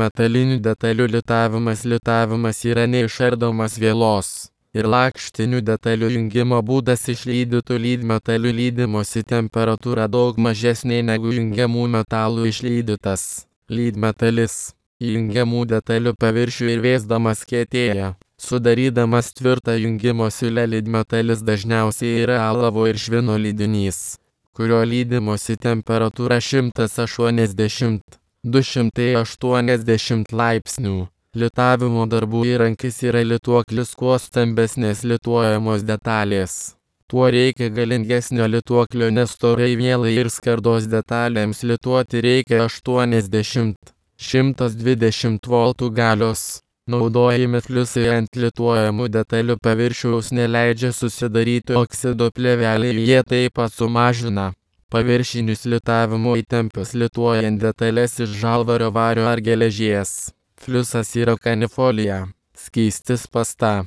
Metalinių detalių litavimas yra neišardomas vielos ir lakštinių detalių jungimo būdas išlydytų lydmetalių lydimosi temperatūra daug mažesnė negu jungiamų metalų išlydytas lydmetalis. Jungiamų detalių paviršių ir vėsdamas kietėja, sudarydamas tvirtą jungimo siūlę lydmetalis dažniausiai yra alavo ir švino lydinys, kurio lydimosi temperatūra 180–280 laipsnių. Litavimo darbų įrankis yra lituoklis. Kuo stambesnės lituojamos detalės, tuo reikia galingesnio lituoklio, nes storai vielai ir skardos detalėms lituoti reikia 80–120 voltų galios. Naudojami fliusai ant lituojamų detalių paviršiaus neleidžia susidaryti oksido plėveliai, jie taip pat sumažina paviršinius litavimo įtempius lituojant detalės iš žalvario, vario ar geležies. Fliusas yra kanifolija, skystis pasta.